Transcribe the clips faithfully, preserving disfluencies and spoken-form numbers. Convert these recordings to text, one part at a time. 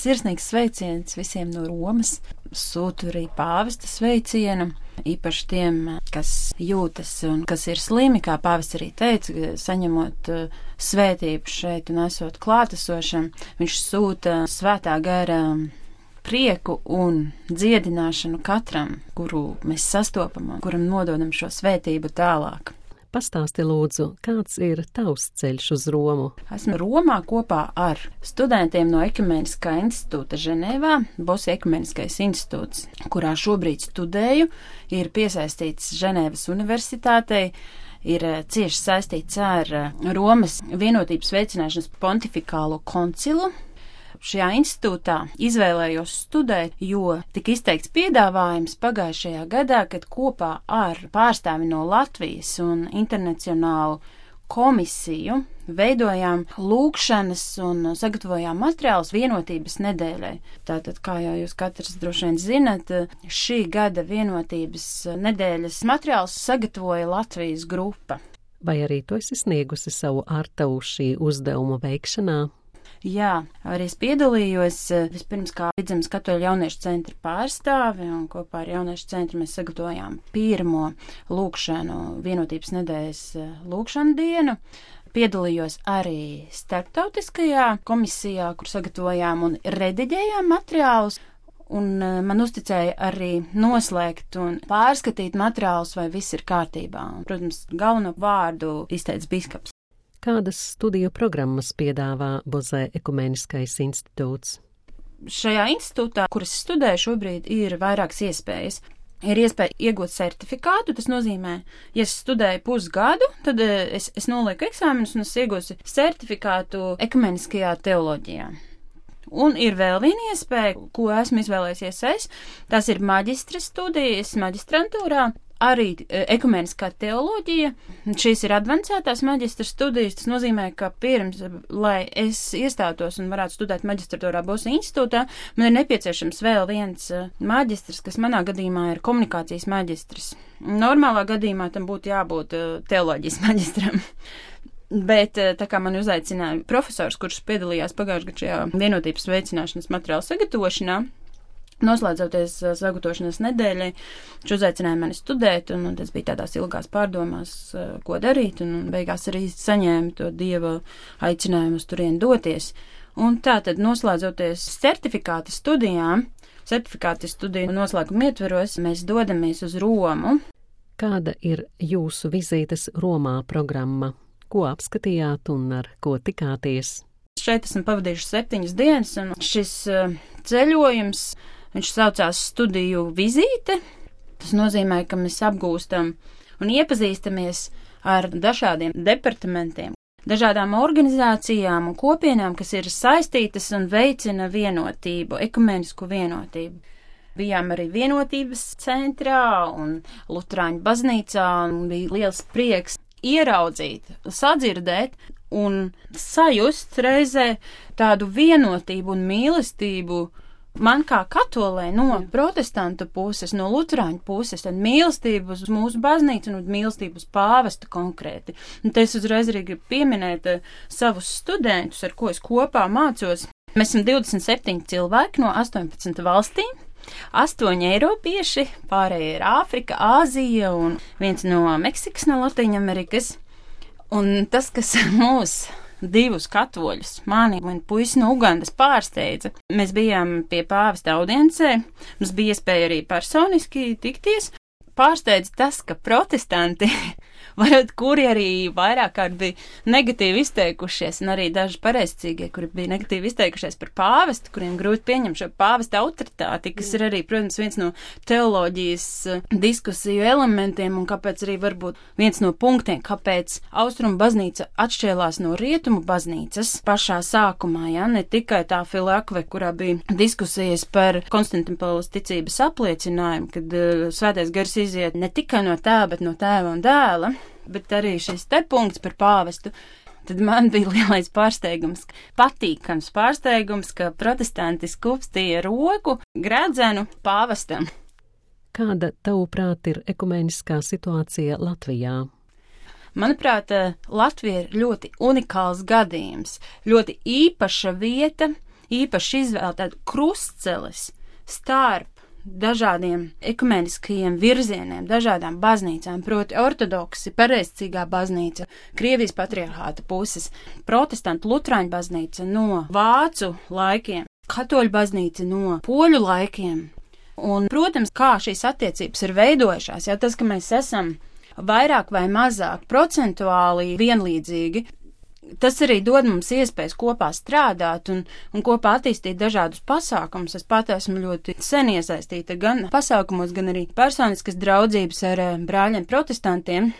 sirsnīgs sveiciens visiem no Romas. Sūtu arī pāvesta sveicienu, īpaši tiem, kas jūtas un kas ir slimi, kā pāvests arī teica, saņemot svētību šeit un esot klātesošam. Viņš sūta svētā gara prieku un dziedināšanu katram, kuru mēs sastopam, kuram nododam šo svētību tālāk. Pastāsti lūdzu, kāds ir tavs ceļš uz Romu? Esmu Romā kopā ar studentiem no Ekumeniskā institūta Ženēvā. Bosija Ekumeniskais institūts, kurā šobrīd studēju, ir piesaistīts Ženēvas universitātei, ir cieši saistīts ar Romas vienotības veicināšanas pontifikālo koncilu. Šajā institūtā izvēlējos studēt, jo tika izteikts piedāvājums pagājušajā gadā, kad kopā ar pārstāvi no Latvijas un internacionālu komisiju veidojām lūgšanas un sagatavojām materiālus vienotības nedēļai. Tātad, kā jau jūs katrs droši vien zinat, šī gada vienotības nedēļas materiālus sagatavoja Latvijas grupa. Vai arī tu esi sniegusi savu artavu šī uzdevuma veikšanā? Jā, arī es piedalījos vispirms kā Vidzemes katoļu jauniešu centra pārstāve, un kopā ar jauniešu centru mēs sagatavojām pirmo lūgšanu vienotības nedēļas lūgšanu dienu. Piedalījos arī starptautiskajā komisijā, kur sagatavojām un rediģējām materiālus, un man uzticēja arī noslēgt un pārskatīt materiālus, vai viss ir kārtībā. Un, protams, galveno vārdu izteica biskaps. Kādas studiju programmas piedāvā Bozē Ekumeniskais institūts? Šajā institūtā, kuras studēju šobrīd, ir vairākas iespējas. Ir iespēja iegūt certifikātu, tas nozīmē, ja es studēju pusgadu, tad es, es nolieku eksāmenus un es iegūstu certifikātu ekumeniskajā teoloģijā. Un ir vēl viena iespēja, ko esmu izvēlējusies es, tās ir maģistra studijas maģistrantūrā. Arī ekumeniskā teoloģija, šīs ir advancētās maģistra studijas, tas nozīmē, ka pirms, lai es iestātos un varētu studēt maģistratūrā Bosija institūtā, man ir nepieciešams vēl viens maģistrs, kas manā gadījumā ir komunikācijas maģistrs. Normālā gadījumā tam būtu jābūt teoloģijas maģistram. Bet tā kā man uzaicināja profesors, kurš piedalījās pagājušajā gadā šajā vienotības veicināšanas materiālu sagatavošanā, noslēdzoties sagatavošanas nedēļai, viņš uzaicināja mani studēt, un, un tas bija tādās ilgās pārdomās, ko darīt, un, un beigās arī saņēmu to Dieva aicinājumu uz turieni doties. Un tā tad noslēdzoties certifikāta studijām, certifikāta studiju noslēguma ietveros, mēs dodamies uz Romu. Kāda ir jūsu vizītes Romā programma? Ko apskatījāt un ar ko tikāties? Šeit esmu pavadījuši septiņas dienas, un šis ceļojums, viņš saucās studiju vizīte. Tas nozīmē, ka mēs apgūstam un iepazīstamies ar dažādiem departamentiem, dažādām organizācijām un kopienām, kas ir saistītas un veicina vienotību, ekumenisku vienotību. Bijām arī vienotības centrā un Luterāņu baznīcā, un bija liels prieks ieraudzīt, sadzirdēt un sajust reizē tādu vienotību un mīlestību man kā katolē no protestantu puses, no luterāņu puses, tad mīlestību uz mūsu baznīcu un mīlestību uz pāvestu konkrēti. Un te es uzreiz arī gribu pieminēt savus studentus, ar ko es kopā mācos. Mēs esam divdesmit septiņi cilvēki no astoņpadsmit valstīm. Astoņi eiropieši, pārējie ir Āfrika, Āzija un viens no Meksikas, no Latīņamerikas. Un tas, kas mūs divus katoļus, mani un puisi no Ugandas pārsteidza, mēs bijām pie pāvesta audiencē, mums bija iespēja arī personiski tikties. Pārsteidza tas, ka protestanti, varbūt kuri arī vairāk kārt bija negatīvi izteikušies, un arī daži pareizcīgie, kuri bija negatīvi izteikušies par pāvestu, kuriem grūti pieņemt šo pāvesta autoritāti, kas ir arī, protams, viens no teoloģijas diskusiju elementiem, un kāpēc arī varbūt viens no punktiem, kāpēc Austrumu baznīca atšķēlās no Rietumu baznīcas pašā sākumā, ja, ne tikai tā filakve, kurā bija diskusijas par Konstantinopolės ticības apliecinājumu, kad uh, svētais gars iziet ne tikai no tēva, bet no tēva un dēla, bet arī šis te punkts par pāvestu, tad man bija lielais pārsteigums, patīkams pārsteigums, ka protestanti skupstīja roku gredzenu pāvestam. Kāda, tavuprāt, ir ekumeniskā situācija Latvijā? Manuprāt, Latvija ir ļoti unikāls gadījums, ļoti īpaša vieta, īpaši izvēle tādu krustceles starp dažādiem ekumeniskajiem virzieniem, dažādām baznīcām, proti ortodoksi, pareizcīgā baznīca, Krievijas patriarhāta puses, protestantu lutrāņu baznīca no vācu laikiem, katoļu baznīca no poļu laikiem. Un, protams, kā šīs attiecības ir veidojušās, jau tas, ka mēs esam vairāk vai mazāk procentuāli vienlīdzīgi, tas arī dod mums iespējas kopā strādāt un, un kopā attīstīt dažādus pasākumus. Es pat esmu ļoti sen iesaistīta gan pasākumos, gan arī personiskas draudzības ar brāļiem protestantiem.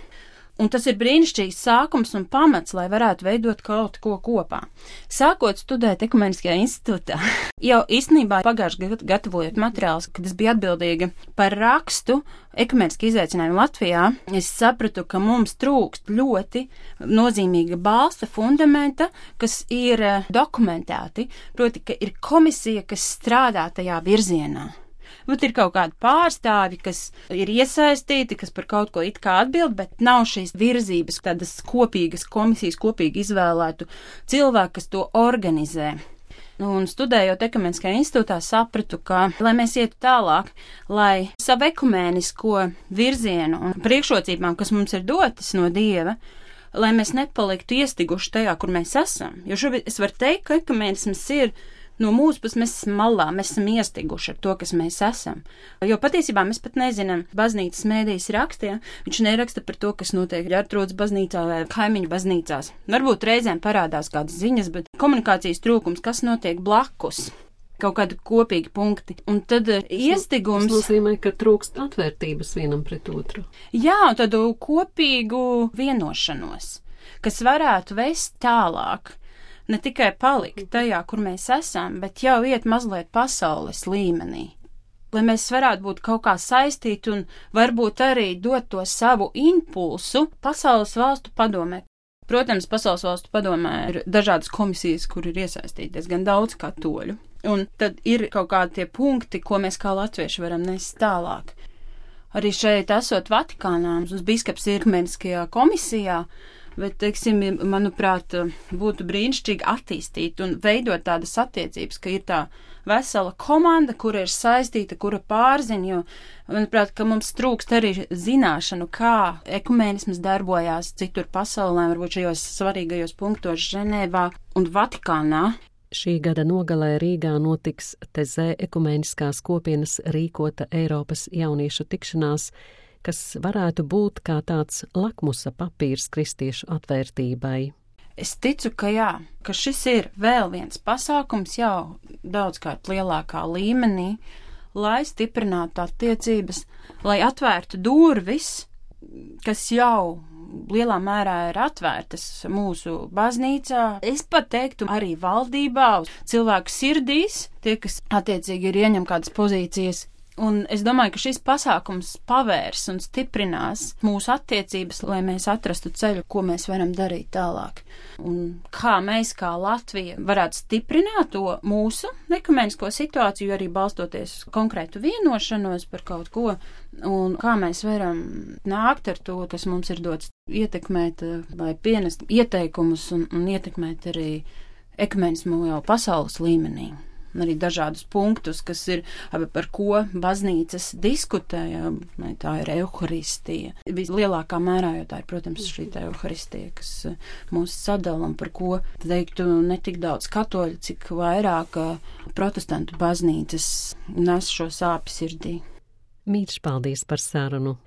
Un tas ir brīnišķīgs sākums un pamats, lai varētu veidot kaut ko kopā. Sākot studēt Ekumeniskajā institūtā, jau īstenībā pagājuši gadu gatavojot materiālus, kad es biju atbildīga par rakstu ekumeniski izaicinājumi Latvijā, es sapratu, ka mums trūkst ļoti nozīmīga balsta fundamenta, kas ir dokumentēti, proti, ka ir komisija, kas strādā tajā virzienā. Bet ir kaut kādi pārstāvi, kas ir iesaistīti, kas par kaut ko it kā atbild, bet nav šīs virzības, tādas kopīgas komisijas, kopīgi izvēlētu cilvēku, kas to organizē. Un studējot Ekumeniskajā institūtā sapratu, ka, lai mēs ietu tālāk, lai savu ekumēnisko virzienu un priekšrocībām, kas mums ir dotas no Dieva, lai mēs nepaliktu iestiguši tajā, kur mēs esam. Jo šobrīd es varu teikt, ka ekumēnisms ir no mūsu puses, mēs esam malā, mēs esam iestiguši ar to, kas mēs esam. Jo patiesībā mēs pat nezinām, baznīcas mēdījis rakstīja, viņš neraksta par to, kas notiek Ģertrūdas baznīcā vai kaimiņu baznīcās. Varbūt reizēm parādās kādas ziņas, bet komunikācijas trūkums, kas notiek blakus, kaut kādi kopīgi punkti. Un tad iestigums... Tas nozīmē, ka trūkst atvērtības vienam pret otru. Jā, un tādu kopīgu vienošanos, kas varētu vest tālāk. Ne tikai palikt tajā, kur mēs esam, bet jau iet mazliet pasaules līmenī. Lai mēs varētu būt kaut kā saistīti un varbūt arī dot to savu impulsu pasaules valstu padomē. Protams, pasaules valstu padomē ir dažādas komisijas, kur ir iesaistīties gan daudz katoļu. Un tad ir kaut kādi tie punkti, ko mēs kā latvieši varam nest tālāk. Arī šeit esot Vatikānā, mums biskaps ir ekumeniskajā komisijā, bet, teiksim, manuprāt, būtu brīnišķīgi attīstīt un veidot tādas attiecības, ka ir tā vesela komanda, kura ir saistīta, kura pārzina, jo, manuprāt, ka mums trūkst arī zināšanu, kā ekumenisms darbojās citur pasaulē, varbūt šajos svarīgajos punktos Ženēvā un Vatikānā. Šī gada nogalē Rīgā notiks Tezē ekumeniskās kopienas rīkota Eiropas jauniešu tikšanās, kas varētu būt kā tāds lakmusa papīrs kristiešu atvērtībai. Es ticu, ka jā, ka šis ir vēl viens pasākums jau daudzkārt lielākā līmenī, lai stiprinātu attiecības, lai atvērtu durvis, kas jau lielā mērā ir atvērtas mūsu baznīcā. Es pat teiktu arī valdībā, cilvēku sirdīs, tie, kas attiecīgi ir ieņem kādas pozīcijas. Un es domāju, ka šis pasākums pavērs un stiprinās mūsu attiecības, lai mēs atrastu ceļu, ko mēs varam darīt tālāk. Un kā mēs, kā Latvija, varētu stiprināt to mūsu ekumenisko situāciju, arī balstoties uz konkrētu vienošanos par kaut ko, un kā mēs varam nākt ar to, kas mums ir dots, ietekmēt vai pienest ieteikumus un, un ietekmēt arī ekumenismu jau pasaules līmenī. Arī dažādus punktus, kas ir, par ko baznīcas diskutē, ja, tā ir euharistija. Vislielākā mērā, jo tā ir, protams, šī tā euharistija, kas mūs sadala un par ko, teiktu, ne tik daudz katoļu, cik vairāk protestantu baznīcas nes šo sāpi sirdī. Mīļš, paldies par sarunu!